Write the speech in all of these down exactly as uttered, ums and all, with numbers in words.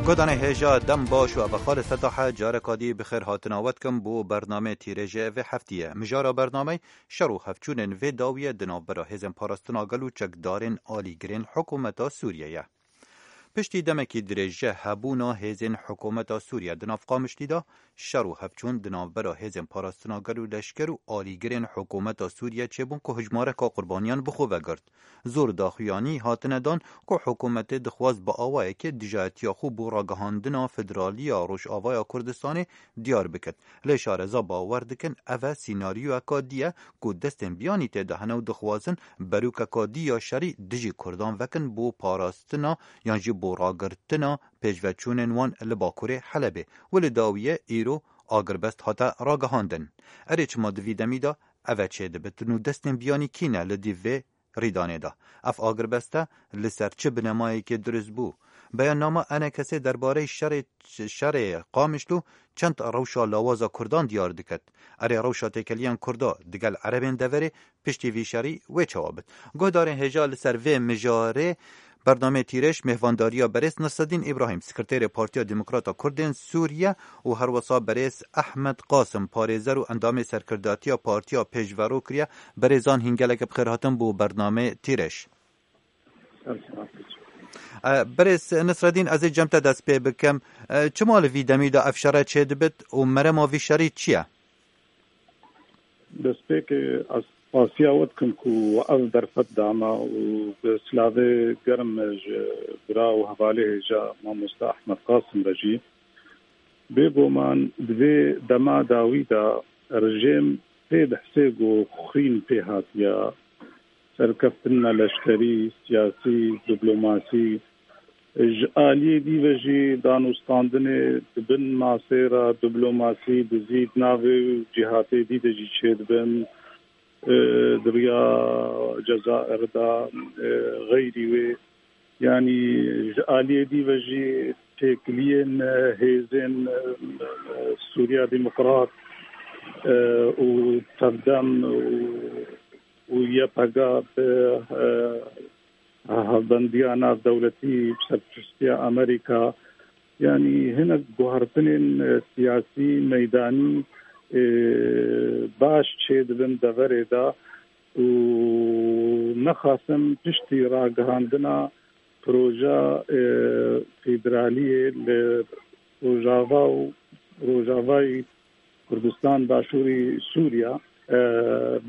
Guhdarên hêja, dem baş û ev e Xalid Fetah e, careka dî bi xêr hatina we dikim bo bernameyê Tîrêjê vê heftiyê. Mijara bernameyê şer û hevçûnên vê dawiyê di navbera hêzên parastina gel û çekdarên alîgirên hikûmeta Sûriyê ye. Piştî demekî dirêj ji hebûna hêzên hikûmeta Sûriye di nav Qamişlî de, şer û hevçûn di navbera hêzên parastina gel û leşker û alîgirên hikûmeta Sûriye çêbûn ku hijmareka qurbaniyan bi xwe vegirt. Zor daxuyanî hatine dan ku hikûmetê dixwaz bi awayekê dijayetiya xwe bo ragihandina federaliya Rojavaya Kurdistanê diyar bikit. Lê şareza bawer dikin ev e sînaryoyeka dî ye ku destên biyanî tê de hene û dixwazin berûkeka dî ya şerî dijî Kurdan vekin bo parastina yan jî bo ragirtina pêşveçûnên wan li Bakurê Helebê. Û li dawiyê îro agirbest hate ragihandin. Erê, çima di vî demî de ev e çêdibitin û destên biyanî kî ne li dîv vê rîdanê de? Ev agirbeste li ser çi binemayekê dirust bû? Beyannama Enekesê derbareyê şerê, şerê Qamişlo çend rewşa lawaza Kurdan diyar diket. Erê, rewşa têkiliyên Kurda digel Erebên deverê piştî vî şerî wê çawa bit? Guhdarên hêja, li ser vê mijarê bernameyê Tîrêj mêhvandariya berêz Nasreddîn Îbrahîm, Sekreterê Partiya Demokrata Kurdên Sûriye û herwesa berêz Ehmed Qasim, parêzer û endamê serkirdatiya partiya pêşvero kiriye. Berêzan hîn gelek bi xêr hatin bo bernameyê Tîrêj. E, Berêz Nasreddîn, ez ê cem te dest pê bikim. E, çima li vî demî de ev şere çêdibit û merema vî şerî çi ye? Destpêkê ez spasiya we dikim ku we ev derfet dama û bi silavê germ ji bira û hevalê hêja mamoste Ehmed Qasim re jî. Bêguman di vê dema dawî de rejîm pê dihsê ku xwîn pê hatiye, serkeftina leşkerî, siyasî, diplomasî, ji aliyê dî ve jî danûstandinê di bin masê re diplomasî, dizî di navê cîhatê dî de jî çêdibin, e, di riya Cezayir de, e, xeyrî wê. Yanî ji aliyê dî ve jî têkiliyên, e, hêzên, e, e, Sûriya Demokrat, e, û Tevdem û, û Y P G bi, e, hevbendiya navdewletî bi serpiştiya Amerîka, yanî hinek guhertinên, e, siyasî, meydanî, e, baş çêdibin deverê de û nexasim piştî ragihandina proja, e, federaliyê li Rojava û Rojavayî Kurdistan, Başûrî Sûriya, e,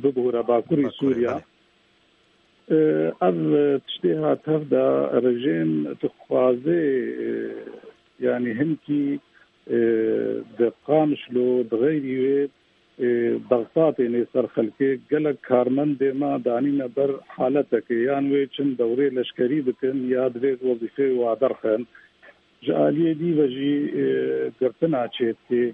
bibûre Bakurî Bakurê, Sûriya. Belê. E, ev tiştê hat hevda rejîm dixwaze, e, yanî hinkî, e, di Qamişlo, di xeyrî wê, e, Bexdatê nê ser xelkê gelek karmendê me danîne ber haletekê, yan wê çin dewrê leşkerî bikin ya divê wezîfeyê wa derxin. Ji aliyê dî ve jî, e, girtina çê dikê.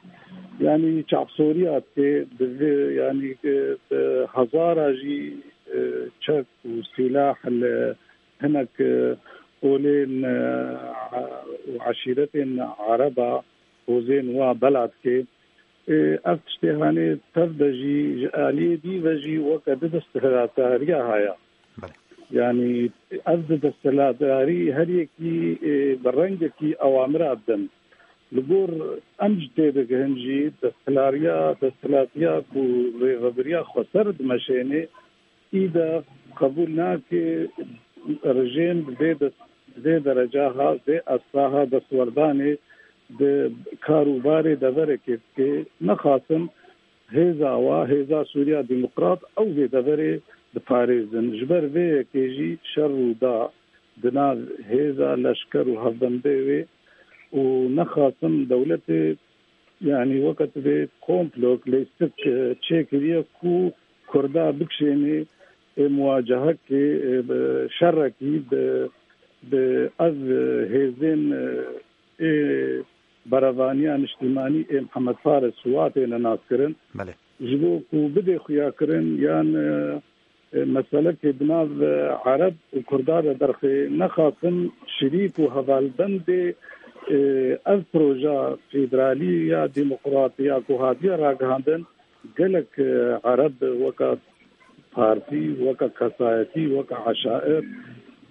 Yanî çavsoriya dikê, divê, yanî, e, bi hezara jî, e, çek û sîlah li hinek, e, olên, e, û eşîretên Ereba hozên wa bela dikê. E, ev tiştê hanê tev de jî ji aliyê dî ve jî weke di desthilatdariya haya. Belê. Yanî ev di desthilatdarî her yekî, e, bi rengekî ewamira didin. Li gor em jî têdigihin jî desthilariya, desthilatiya ku rêvebiriya xweser dimeşênê, î de qebûl nake rejîm vê des-, vê dereca ha, vê asta ha destwerdanê di kar û barê deverekê bike. Nexasim hêza wa, hêza Sûriya Demokrat ew vê deverê diparêzin. Ji ber vê yekê jî şer rû da di nav hêza leşker û hevbendê wê û nexasim dewletê, yanî weke tu vê komplok, lêstik, e, çêkiriye ku Kurda bikişênê, e, muwacehekê, e, bi şerekî bi, bi ev, e, hêzên, e, ê berevaniya niştîmanî ê Mihemed Faris Suwatê ne naskirin. Belê. Ji bo ku bidê xuyakirin yan, e, e, meselekê bi nav, e, Ereb û Kurda de derxê nexasim şirîk û hevalbendê, e, ev proja federalî ya demokratî ya ku hatiye ragihandin, gelek, e, Ereb weke partî, weke kesayetî, weke eşair,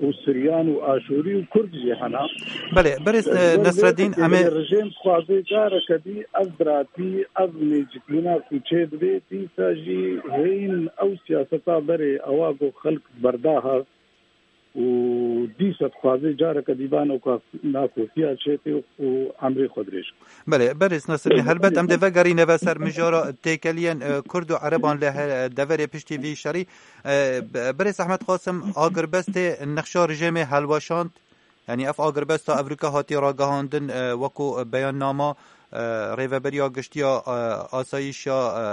û Siryan û Aşûrî û Kurd jî hene. Belê, berêz, e, Ji ber vê Nesreddîn, em ê rejîm dixwaze careke dî ev biratî, ev nêzîkbûna ku çêdibe, dîsa jî hêyin ew siyaseta berê ewa ku xelk berda hev û dîsa dixwaze careke dî van ew ka-, nakokiya çêke û emrê xwe dirêj. Belê, berêz Nesreddîn, helbet em dê vegerîne ve ser mijara têkeliyên, e, Kurd û Ereban li he-, deverê piştî vî şerî. E, be-, berêz Ehmed Qasim, agirbestê nexşa rejîmê helweşand, yanî ev agirbesta evrika hatiye ragihandin, e, wekû beyannama, e, Rêveberiya Giştiya, e, Asayişa, e,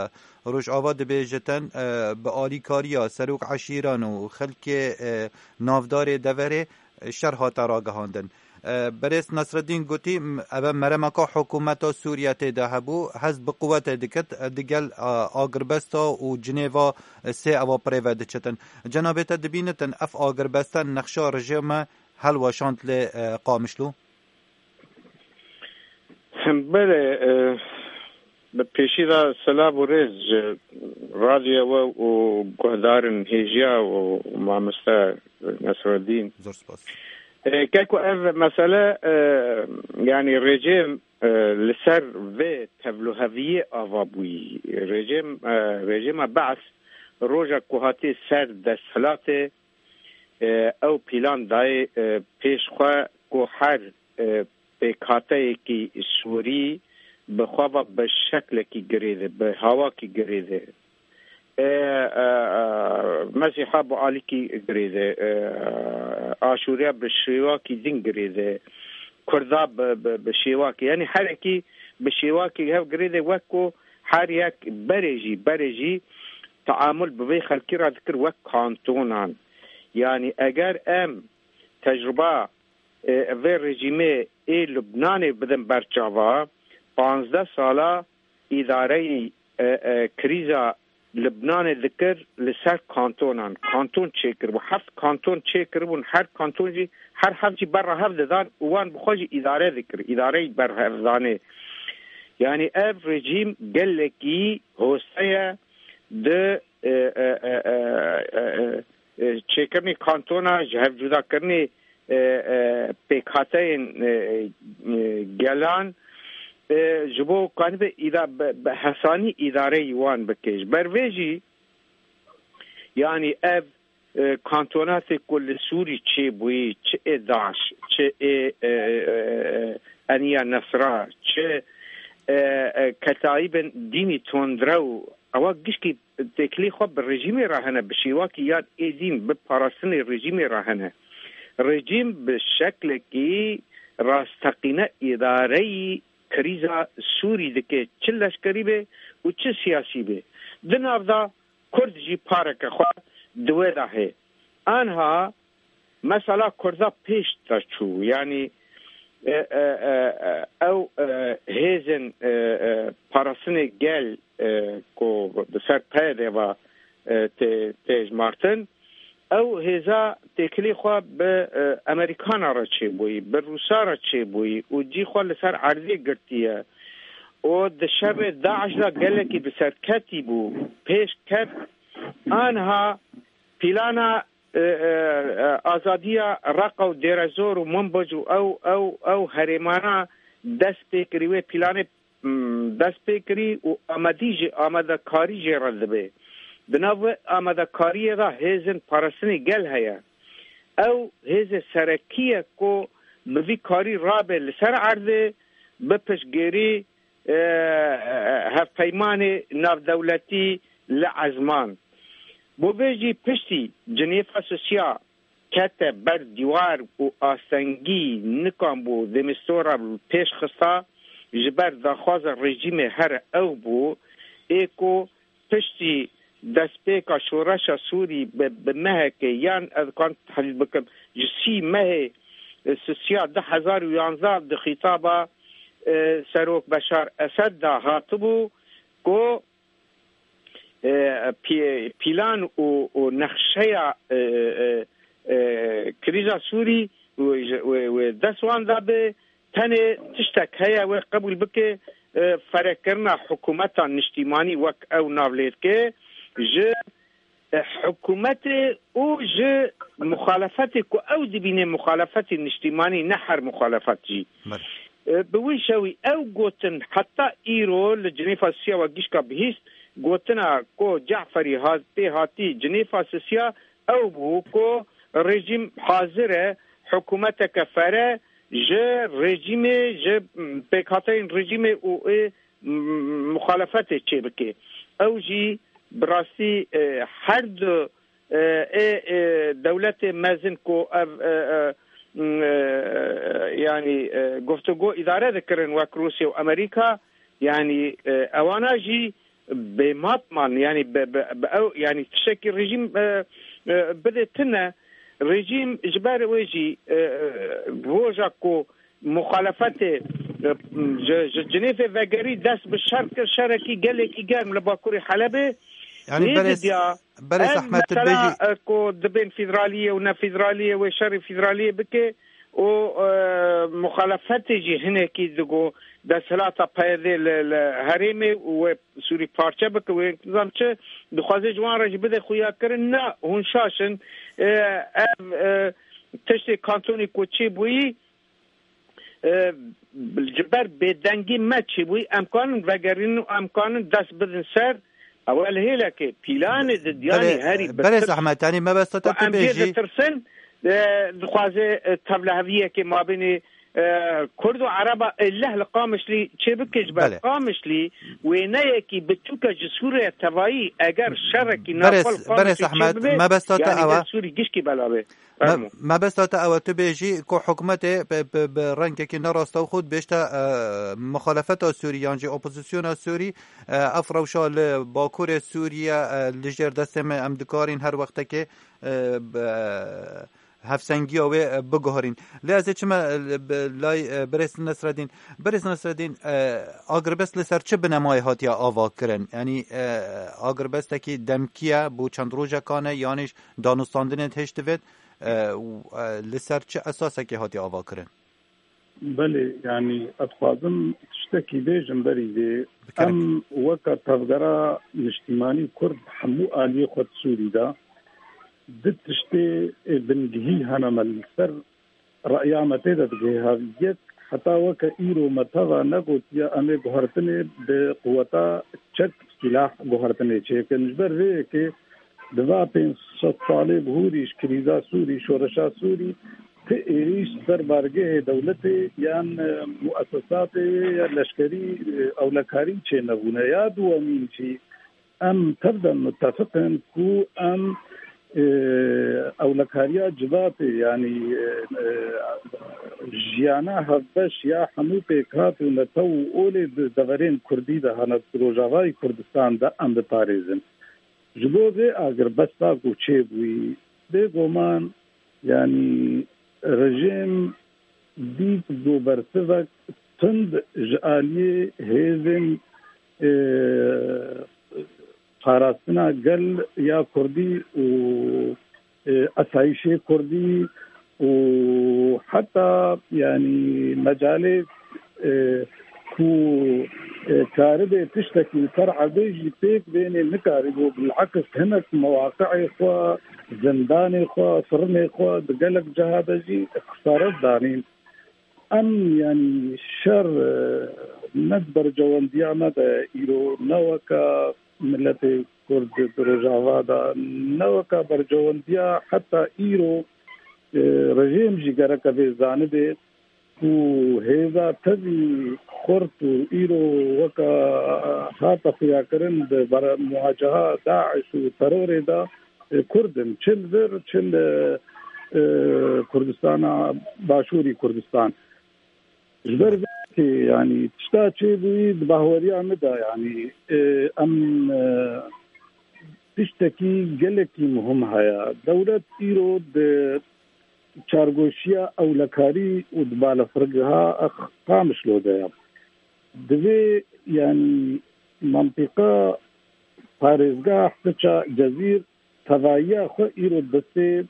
Rojava dibêjitin, e, bi alîkariya serok eşîran û xelkê, e, navdarê deverê, e, şer hate ragihandin. E, berêz Nesreddîn gotî, m-, ev e meremeka hikûmeta Sûriye tê de hebû, hest bi quwetê dikit, e, digel, e, agirbesta û Cinêva, e, sê ewa bi rê ve diçitin. Cenabê te dibînitin ev agirbeste nexşa rejîme helweşand li, e, Qamişlo? Belê, e, bi pêşî de silav û rêz ji radyoya we û guhdarên hêjiya û mamoste Nesreddîn. Zor spas. E, keko ev mesele, e, yanî rejîm, e, li ser vê tevliheviyê ava bûyî. Rejîm, e, rejîma Be'es roja ku hatiye ser desthilatê, e, ew plan dayê, e, pêş xwe ku her, e, pêkhateyekî Sûrî bi xwe ve bi şeklekî girêde, bi hawakî girêde. E, e, e, Mesîha bi alîkî girêde, e, Aşûriya bi şêwakî din girêde, Kurda bi, bi, bi şêwakî, yanî herekî bi şêwakî hev girêde, wek ku her yek berê jî, berê jî teamul bi vê xelkî re dikir wek kantonan. Yanî eger em tecruba, e, vê rejîmê ê Lubnanê bidin ber çava, panzdeh sala îdareyî, e, e, krîza Lubnanê dikir li ser kantonan. Kanton çêkiribû. Heft kanton çêkiribûn. Her kanton jî, her heft jî berra hev didan û wan bi xwe jî îdare dikir. Îdareyî berhevdanê. Yanî ev rejîm gelekî hoste ye di, e, e, e, e, e, e, e, çêkirinê kantona, ji hevcudakirinê, e, e, pêkhateyên, e, e, gelan, e, ji bo kanibe îda-, bi, bi hesanî îdareyî wan bike. Ji ber vê jî, yanî ev, e, kantonatê ku li Sûrî çêbûyî, çi ê DAIŞ, çi ê, e, e, e, Eniya Nesra, çi, e, e, Ketayîbên dînî tundrew, ewa gişkî têkilî xwe bi rejîmê re hene, bi şêwakî yan êdîn bi parastinê rejîmê re hene. Rejîm bi şeklekî rasteqîne îdareyî krîza Sûrî dike, çi leşkerî be û çi siyasî be. Di nav de Kurd jî pareke xwe di wê de heye. Anha mesela Kurda pêş de çû, yanî, e, e, e, e, ew, e, hêzên, e, e, parastinê gel, e, ku bi ser P Y D ve, e, tê, tê hejmartin, ew hêza têkilî xwe bi, e, Amerîkana re çêbûyî, bi Rûsa re çêbûyî û cî xwe li ser erdê girtiye û di şerê DAIŞ de gelekî bi serketî bû, pêş ket, anha plana, e, e, e, azadiya Reqa û Dêrezor û Minbic û ew, ew, ew herêmana dest pê kirî, wê planê, m, dest pê kirî û amadî jî, amadekarî jê re dibe. Di nav wê amadekariyê de hêzên parastinê gel heye. Ew hêzê serekî ye ku bi vî karî rabe li ser erdê, bi piştgêrî, e, e, hevpeymanê navdewletî li ezman. Bo vê jî piştî Cinêfa Sosiya kete ber dîwar û astengî nikanbû Demîstora pêş xista, ji ber daxwaza rejîmê here ew bû, ê ku piştî destpêka şoreşa Sûrî bi, bi mehekê yan ez kan tehlîl bikim, ji sî mehê, e, Sisiya du hezar û yanzdeh di xîtaba, e, Serok Beşar Esed de hatibû ku, e, pî-, pîlan û, û nexşeya, e, e, e, krîza Sûrî wê, wê, wê dest wan de be, tenê tiştek heye wê qebûl bike, e, ferekirina hikûmeta niştîmanî wek ew nav lê dike, ji e, hikûmetê û ji muxalefetê ku ew dibîne muxalefetê niştîmanî, ne her muxalefet jî. Belê. E, bi wî şewî ew gotin, heta îro li Cinêfa Sisiya we gişka bihîst, gotina ku Caferî hat-, pê hatî Cinêfa Sisiya ew bû ku rejîm hazir e hikûmeteke fere ji rejîmê, ji, m, pêkhateyên rejîmê û ê, m, muxalefetê çêbike. Ew jî bi rastî, e, her du, e, ê, e, dewletê mezin ku ev, e, e, m, e, yanî, e, guftûgo îdare dikirin wek Rûsya û Amerîka, yanî, e, ewana jî bêmat man, yanî bi, bi, bi ew, yanî tiştekî rejîm, e, e, bide tune. Rejîm ji ber wê jî, e, e, roja ku muxalefetê, e, ji, ji Cinêfê vegerî dest bi şer kir, şerekî gelekî germ li Bakurê Helebê. Yanî nê berê, didiya, berê ev Zehmet, tu mesela, dibêjî, e, ku dibên federaliyê û ne federaliyê wê şerê federaliyê bike û, e, muxalefetê jî hinekî digo desthilata P Y D li, li herêmê û wê Sûrî parçe bike, wê nizam çi dixwaze ji wan re jî bide xuyakirin. Na, hûn şaş in. E, ev, e, tiştê kantonê ku çêbûyî, e, ji ber bêdengî me çêbûyî, em kanin vegerînin û em kanin dest bidin ser. Ew li hêlekê, pîlanê di diyanî Belê, herî berê bitir Zehmet, yanî mebesta te ku tu em jê bêjî ditirsin, e, dixwaze, e, tevleheviyekê mabênê, e, Kurd û Ereba êleh li Qamişlî çêbike, ji ber Belê. Qamişlî wêneyekî biçûk e ji Sûriye tevayî, eger şerekî Berê, navxwe li berê Qamişlî Zehmet, çêbibe, mebesta te yanî ew e. Sûrî gişkî bela be. Me-, Fermo. Mebesta te ew e, tu bêjî ku hikûmetê bi, bi, bi rengekî ne rastewxo dibêjte, e, muxalefeta Sûrî yan jî opozisyona Sûrî, e, ev rewşa li Bakurê Sûriye, e, li jêr destê me, em dikarîn her wextekê, e, bi, e, hevsengiya wê, e, biguherîn. Lê ez ê çime, e, li, bi, lay, e, birêz Nesredîn. Birêz Nesredîn, e, agirbest li ser çi binemayê hatiye ava kirin? Yanî, e, agirbestekî demkî ye, bo çend rojekan e, yanî danûstandinê hêj divêt, e, û, e, li ser çi esasekê hatiye avakirin? Belê, yanî ez dixwazim tiştekî bêjim berî vê. Bikerim. Em weke tevgera niştîmanî Kurd hemû aliyê xwe di Sûrî de du tiştê, e, bingehî hene me li ser reya me tê de digihê hev. Yek, heta weke îro me teva negotiye em ê guhertinê bi quweta çek, sîlah guhertinê çêkin. Ji ber vê yekê di va pênc sed salê bihûrî ji krîza Sûrî, şoreşa Sûrî, ti êrîş ser bargehê dewletê yan, e, muesesatê ya leşkerî, e, ewlekarî çênebûne. Ya duwemîn jî, em tev de mutefiq in ku em, e, ewlekariya civatê, yanî, e, e, jiyana hevbeş ya hemû pêkhat û netew û olê di deverên Kurdî de hene, di Rojavayê Kurdistan de em biparêzin. Ji bo vê agirbesta ku çêbûyî, bêguman, yanî rejîm dît ku bersivek tund ji aliyê hêzên, e, parastina gel ya Kurdî û, e, esayîşê Kurdî û heta, yanî, mecalê, e, ku, e, karibe tiştekî li ser erdê jî pêk bênê nikarîbû, bil'eks hinek mewaqi'ê xwe, zindanê xwe, firinê xwe di gelek ciha de jî xisaret danîn. Em, yanî, şer, e, ne di berjewendiya me de îro, ne weke miletê Kurd di Rojava de, ne weke berjewendiya heta îro, e, rejîm jî gereke vê zanibe ku hêza tevî xurt û îro weke hate xuyakirin di ber-, muwaceha DAIŞ û terorê de, e, Kurd in. Çi li vir, çi li, e, Kurdistana Başûrî Kurdistan. Ji ber vê yekê, yanî, tişta çêbûyî di bahweriya min de, yanî, e, em, e, tiştekî gelekî muhim heye. Dewlet îro di çargoşiya ewlekarî û di balafirgeha Qamişlo de ye. Divê, yanî, mentiqa parêzgah, Fiça, Cezîr, tevayiya xwe îro destê,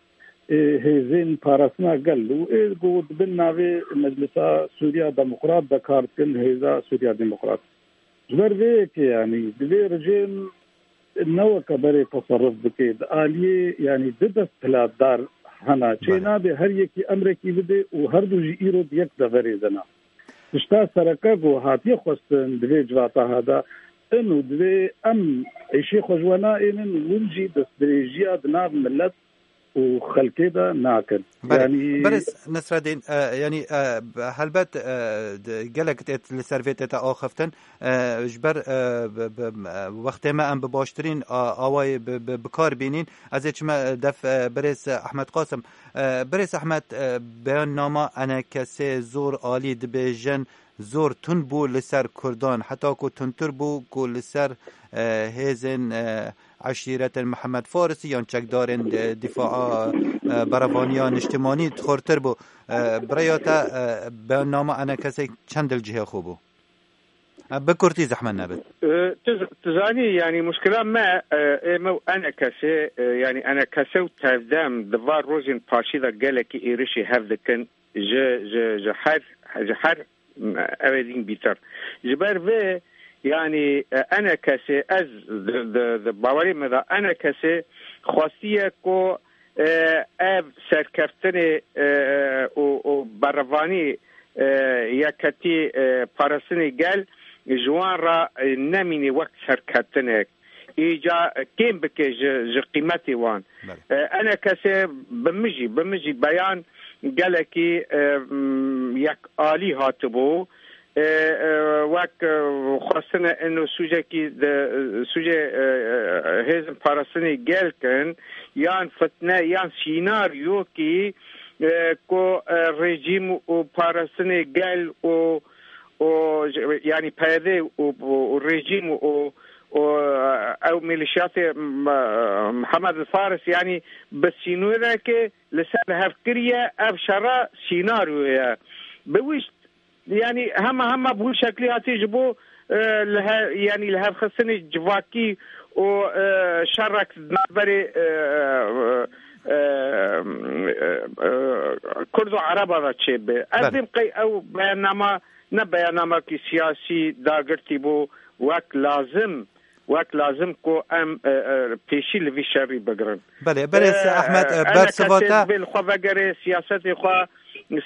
e, hêzên parastina gel û ê ku di bin navê Meclisa Sûriya Demokrat de kar dikin, Hêza Sûriya Demokrat. Ji ber vê yekê, yanî, divê rejîm Ne weke berê teserruf bike. Di aliyê, yanî du dest piladar hene. Çê Belê. nabe her yekî emrekî bide û her du jî îro di yek deverê de ne. Tişta sereke ku hatiye xwestin di vê civata ha de in û divê em êşê xwe ji we naênin, win jî destdirêjiya di nav milet û xelkê de nakin. Belê. Yanî Berêz Nesredîn, e, yanî, e, helbet, e, de, gelek tê li ser vê tête axiftin. E, ji ber, e, bi, bi, e, wextê me em bi baştirîn a, awayê bi, bi, bi kar bînîn. Ez ê çime def, e, Birêz Ehmed Qasim. E, Birêz Ehmed, e, beyannama enekesê zor alî dibêjin, zor tund bû li ser Kurdan, heta ku tundtir bû ku li ser, e, hêzên, e, eşîretên Mihemed Farisî yan çekdarên, e, dîfaa, e, berevaniya niştimanî xurtir bû. E, bi rêya te, e, beyannama enekesê çend li cihê xwe bû? E, bi kurtî zehmet nebit. E, tu, tu zanî, yanî muşkila me, e, ê me û enekesê, e, yanî enekese û tevdem di van rojên paşî de gelekî êrişî hev dikin ji, ji, ji her, ji her Ev ê dîn bîtir. Ji ber vê, yanî, e, enekesê, ez di, di, di bawerê me de enekesê xwestiye ku, e, ev serkeftinê, e, û, û berevanî, e, yeketî, e, parastinê gel ji wan re, e, nemîne wek serkeftinek. Îca kêm bike ji, ji qîmetê wan. Belê. E, enekesê bi min jî, bi min jî beyan gelekî, e, m, yek alî hatibû. E, e, wek, e, xwestine ino sûcekî de, sûcê, e, e, hêzin parastinê gel kin, yan fitne, yan sînaryokî, e, ku, e, rejîm û parastinê gel û, û, yanî P Y D û, û, û rejîm û, û, ew milîşyatê M-, Mihemed Faris, yanî bi sînoreke li ser li hev kiriye, ev şera sînaryo ye. Bi wî ş-, yanî hema hema bi wî şeklî hatî ji bo, e, li he-, yanî li hevxistinê civakî û, e, şerek di navberê, e, e, e, e, Kurd û Ereba de çêbe. Ez Belê. dêm qey ew beyannama ne beyannamekî siyasî dagirtî bû wek lazim, wek lazim ku em, e, e, pêşî li vî şerî bigirin. Belê, Berêz E, Ehmed, e, e, bersivata. Enekesê divê li xwe vegerê, siyasetê xwe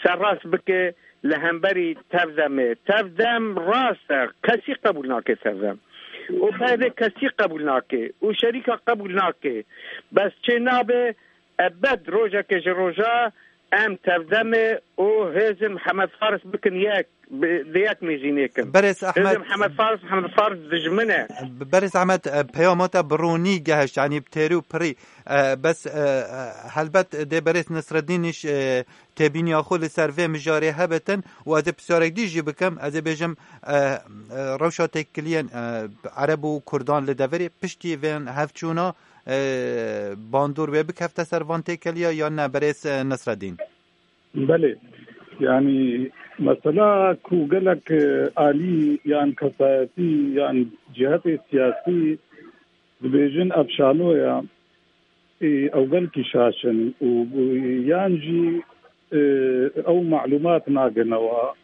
serrast bike li hemberî Tevdemê. Tevdem rast e, kesî qebûl nake Tevdem. Û P Y D kesî qebûl nake. Û şerîka qebûl nake. Bes çê nabe, ebed rojeke ji roja em Tevdemê û hêzên Mihemed Faris bikin yek, bi, di yek nêzî nêkin. Berêz Ehmed. Hêzên Mihemed Faris, Mihemed Faris dijmin e. Berêz Ehmed, e, peyama te bi ronî gehişt, yanî bi têrî û pirî. E, bes, e, e, helbet dê Berêz Nesreddîn îş, e, têbîniya xwe li ser vê mijarê hebitin û ez ê pisyarek dî jî bikim, ez ê bêjim, e, e, rewşa têkiliyên, e, Ereb û Kurdan li deverê piştî vên hevçûna, e, bandor wê bikefte ser van têkeliya yan ne, Berêz, e, Nesreddîn? Belê. Yanî mesela ku gelek, e, alî yan kesayetî yan cihetê siyasî dibêjin ev şanoya, e, ew gelkî şaş in û, û yan jî, e, ew malûmat nagihnewa.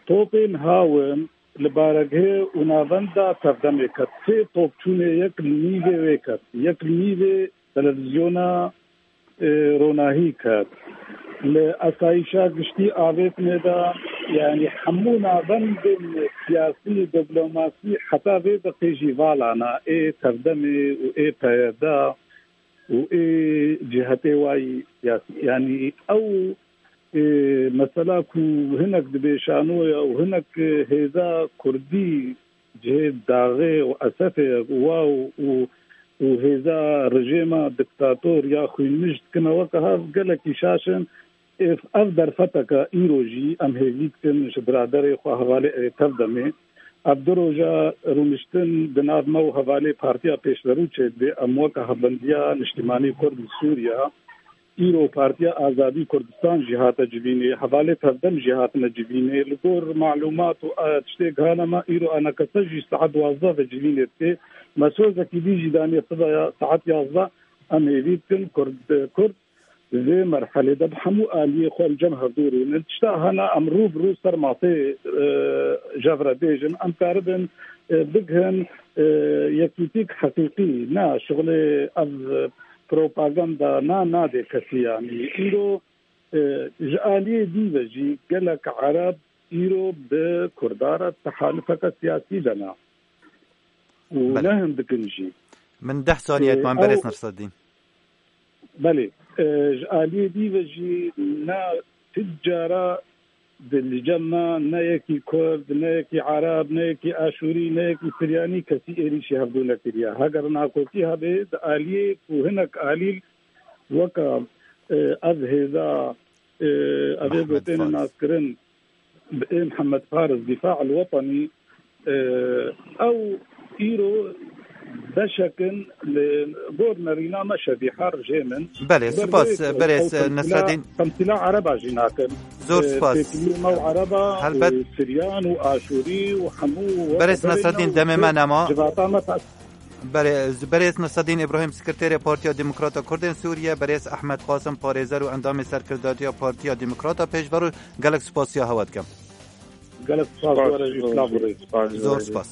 Topên hawin li baregihê û navenda Tevdemê ket. Sê top çûnê, yek li nîvê wê ket, yek li nîvê televîzyona, e, Ronahî ket. Li esayîşa giştî avêtinê de, yanî hemû navendên siyasî, diplomasî heta vê deqê jî vala ne, ê Tevdemê û ê P Y D û ê cihetê wayî siyasî. Yanî ew, e, mesela ku hinek dibê şanoya û hinek, e, hêza kurdî cihê daxê û esefê wa û, û, û hêza rejêma diktator ya xwînmij dikine weke hev gelekî şaş in. Ev, ev derfeteke îro jî em hêvî dikin ji biraderê xwe hevalê Erê Tevdemê. Ev du roja rûniştin di nav me û hevalê Partiya Pêşverû çêdibe. Em weke Hevbendiya Niştimanî Kurd li Sûriya, îro Partiya Azadî Kurdistan jî hate civînê, hevalê Tevdem jî hatine civînê. Li gor malûmat û, e, tiştê gihane me, îro enekese jî saet duwazdeh ve civînê dike. Me sozekî dî jî daniye sibeya saet yazdeh. Em hêvî dikin Kurd, Kurd Di vê merhelê de bi hemû aliyê xwe li cem hevdû rûnin. Tişta hene em rû bi rû ser masê, e, jev re bêjin, em karibin, e, bigihin, e, yekîtîk heqîqî. Na, şixulê ev propaganda na, nadê kesî yanî. Îro, e, ji aliyê dî ve jî gelek Ereb îro bi Kurda re tehalifeke siyasî de ne. Û Belê. ne hin dikin jî. Min deh saniye Ê, etman ew berêz Nasreddîn. Belê, e, ji aliyê dî ve jî ne ti cara di li cem me ne yekî Kurd, ne yekî Ereb, ne yekî Aşûrî, ne yekî Siryanî kesî êrîşî hevdû nekiriye. Heger nakokî hebe di aliyê ku hinek alî weke, e, ev hêza, e, ev ê Mehmet gotêne Faiz. naskirin bi ê Mihemed Faris Dîfa el Wetenî, e, ew îro beşek in li gor nerîna me şevî her jê min. Belê, Ber spas, vê ku berêz ew temsîla, Nasreddîn. temsîla Ereba jî nakin. Zor E, spas. têkilî me û Ereba Helbet. û Siryan û Aşûrî û hemû Berêz weke Nasreddîn, berê demê me nema. civata me tas- Berê-, berêz Nasreddîn Îbrahîm, Sekreterê Partiya Demokrata Kurdên Sûriye, berêz Ehmed Qasim, parêzer û endamê serkirdatiya Partiya Demokrata Pêşverû, gelek spasiya hewa dikim. Gelek spas, Spas, were jî silav û rêz. spas, Zor were jî. spas.